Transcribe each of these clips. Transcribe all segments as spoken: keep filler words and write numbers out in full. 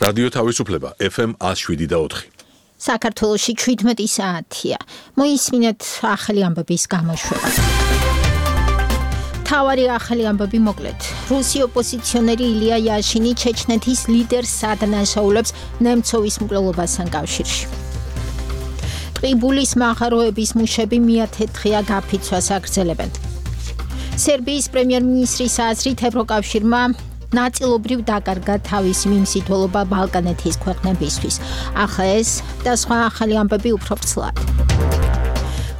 რადიო თავისუფლება ეფ ემ ათს შვიდი და ოთხი. საქართველოში შვიდმეტი საათია. მოისმინეთ ახალი ამბების გამოშვება. თავარი ახალი ამბები მოკლედ. რუსი ოპოზიციონერი ილია იაშინი ჩეჩნეთის ლიდერს ადანაშაულებს ნემცოვის მკვლელობასთან კავშირში. ტყიბულის მაღაროების მუშები მეათე-დღეა გაფიცვას აგრძელებენ. სერბიის პრემიერ-მინისტრის აზრით ევროკავშირმა ნაწილობრივ დაკარგა თავისი მიმსითველობა ბალკანეთის ქვეყნებისთვის. ახლა ეს და სხვა ახალი ამბები უფრო ვრცლად.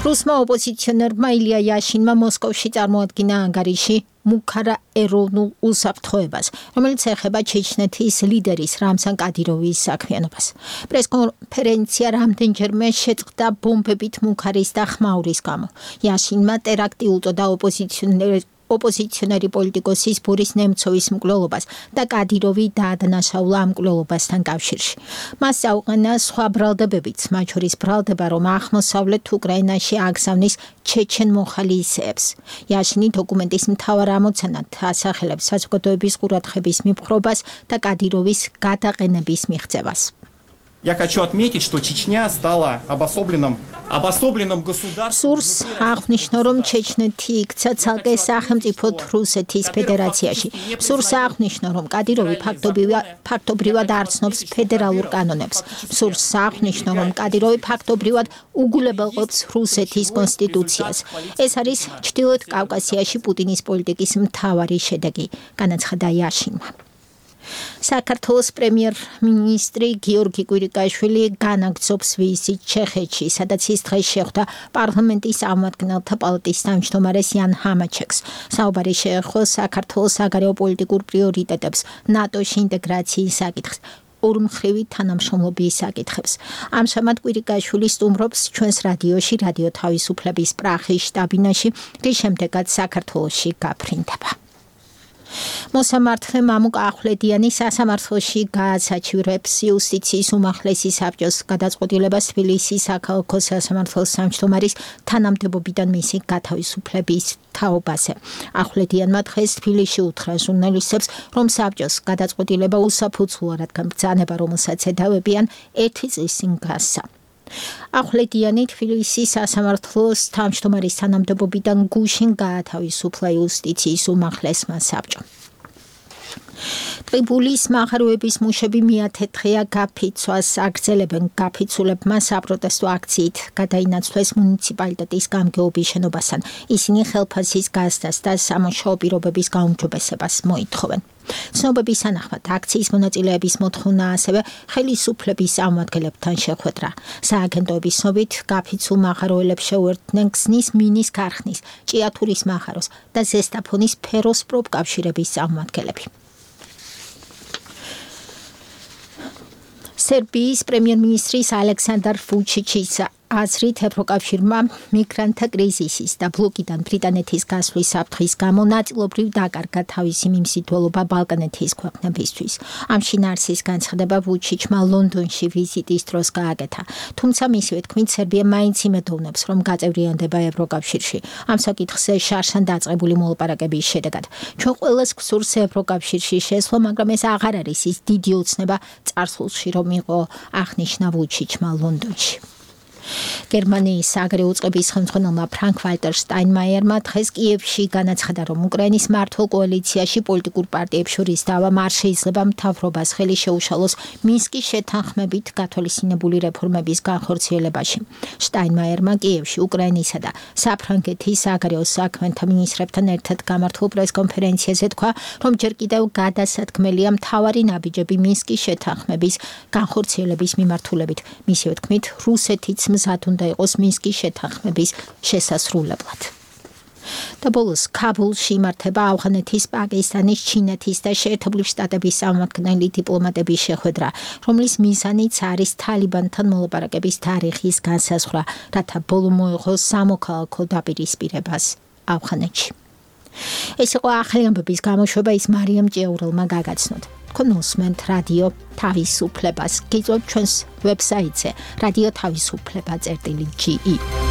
რუსმა ოპოზიციონერმა ილია იაშინმა მოსკოვში წარმოადგინა ანგარიში მუქარა ეროვნულ უსაფრთხოებას, რომელიც ეხება ჩეჩნეთის ლიდერის რამზან კადიროვის საქმიანობას. პრესკონფერენცია რამდენჯერმე შეწყდა ბომბებით მუქარის და ხმაურის გამო. იაშინმა ტერაქტი უწოდა ოპოზიციონერს ოპოზიციონერი პოლიტიკოსის ბორის ნემცოვის მკვლელობას და კადიროვი დაადანაშაულა ამ მკვლელობასთან კავშირში. მას აუყენა სხვა ბრალდებებიც, მათ შორის ბრალდება, რომ აღმოსავლეთ უკრაინაში აგზავნის ჩეჩენ მოხალისეებს. იაშინი დოკუმენტის მთავარ ამოცანად ასახელებს საზოგადოების ყურადღების მიპყრობას და კადიროვის გადაყენების მიღწევას. Я хочу отметить, что Чечня стала обособленным, обособленным государством. Სურს აღნიშნო, რომ ჩეჩნეთი იქცა ცალკე სახელმწიფოდ რუსეთის ფედერაციაში. სურს აღნიშნო, რომ კადიროვი ფაქტობრივად არცნობს ფედერალურ კანონებს. სურს აღნიშნო, რომ კადიროვი ფაქტობრივად უგულებელყოფს რუსეთის კონსტიტუციას. ეს არის ჩრდილოეთ კავკასიაში პუტინის პოლიტიკის მთავარი შედეგი, განაცხადა იაშინმა. საქართველოს პრემიერ-მინისტრი გიორგი კვირიკაშვილი განაგრძობს ვიზიტს ჩეხეთში, სადაც ის დღეს შეხვდა პარლამენტის წარმომადგენელთა პალატის თავმჯდომარეს იან ჰამაჩეკს. საუბარი შეეხო საქართველოს საგარეო პოლიტიკურ პრიორიტეტებს, ნატოში ინტეგრაციის საკითხს, ორმხრივი თანამშრომლობის საკითხებს. ამჟამად კვირიკაშვილი სტუმრობს ჩვენს რადიოში, რადიო თავისუფლების პრაღის შტაბ-ბინაში, რის შემდეგაც საქართველოში გაფრინდება. მოსამართლე მამუკ ახვლედიანი სასამართლოში გააცაჩივრებს იუსტიციის უმაღლესი საბჭოს გადაწყვეტილებას თბილისის საქალაქო სასამართლოს თავმჯდომარის თანამდებობიდან მისი გათავისუფლების თაობაზე. ახვლედიანმა დღეს თბილისში უთხრა ჟურნალისტებს, რომ საბჭოს გადაწყვეტილება უსაფუძვლოა, რადგან ბრძანება, რომელსაც ედავებიან, ერთი წლის წინ გასცა. ახვლედიანი თბილისის სასამართლოს თავმჯდომარის თანამდებობიდან გუშინ გაათავისუფლა იუსტიციის უმაღლესმა საბჭომ. ტყიბულის მაღაროების მუშები მეათე-დღეა გაფიცვას აგრძელებენ. გაფიცულებმა საპროტესტო აქციით გადაინაცვლეს მუნიციპალიტეტის გამგეობის შენობასთან. ისინი ხელფასის გაზრდას და სამუშაო პირობების გაუმჯობესებას მოითხოვენ. ცნობების თანახმად აქციის მონაწილეების მოთხოვნა ასევე ხელისუფლების წარმომადგენლებთან შეხვედრა. სააგენტოების ცნობით გაფიცულ მაღაროელებს შეუერთდნენ ქსნის მინის ქარხნის, ჭიათურის მაღაროს და ზესტაფონის ფეროს პროფკავშირების წარმომადგენლები. სერბიის პრემიერ-მინისტრის ალექსანდარ ვუჩიჩის აზრით ევროკავშირმა მიგრანტთა კრიზისის და ბლოკიდან ბრიტანეთის გასვლის საფრთხის გამო ნაწილობრივ დაკარგა თავისი მიმსითველობა ბალკანეთის ქვეყნებისთვის. ამ შინაარსის განცხადება ვუჩიჩმა ლონდონში ვიზიტის დროს გააკეთა. თუმცა მისივე თქმით, სერბია მაინც იმედოვნებს, რომ გაწევრიანდება ევროკავშირში. ამ საკითხზე შარშან დაწყებული მოლაპარაკების შედეგად. ჩვენ ყველას გვსურს ევროკავშირში შესვლა, მაგრამ ეს აღარ არის ის დიდი ოცნება წარსულში, რომ იყო, აღნიშნა ვუჩიჩმა ლონდონში. გერმანიის საგარეო უწყების ხელმძღვანელმა ფრანკ-ვალტერ შტაინმაიერმა დღეს კიევში განაცხადა, რომ უკრაინის მართლ კოალიციაში პოლიტიკურ პარტიებს შორის დავა არ შეიძლება მთავრობას ხელი შეუშალოს მინსკის შეთანხმებით გათვალისწინებული რეფორმების განხორციელებაში. შტაინმაიერმა კიევში უკრაინისა და საფრანგეთის საგარეო საქმეთა მინისტრებთან ერთად გამართულ პრესკონფერენციაზე თქვა, რომ ჯერ კიდევ გადასათქმელია მთავარი ნაბიჯები მინსკის შეთანხმების განხორციელების მიმართულებით. მისივე თქმით, რუსეთიც მზად უნდა იყოს მინსკის შეთანხმების შესასრულებლად. და ბოლოს ქაბულში იმართება ავღანეთის, პაკისტანის, ჩინეთის და შეერთებული შტატების წარმომადგენელი დიპლომატების შეხვედრა, რომლის მიზანიც არის თალიბანთან მოლაპარაკების თარიღის განსაზღვრა, რათა ბოლო მოეღოს სამოქალაქო დაპირისპირებას ავღანეთში. ეს იყო ახალი ამბების გამოშვება, ის მარიამ ჭიაურელმა გაგაცნოთ. თქვენ უსმენთ რადიო თავისუფლებას. გიწევთ ჩვენს ვებსაიტზე რადიო თავისუფლება წერტილი ჯი ი.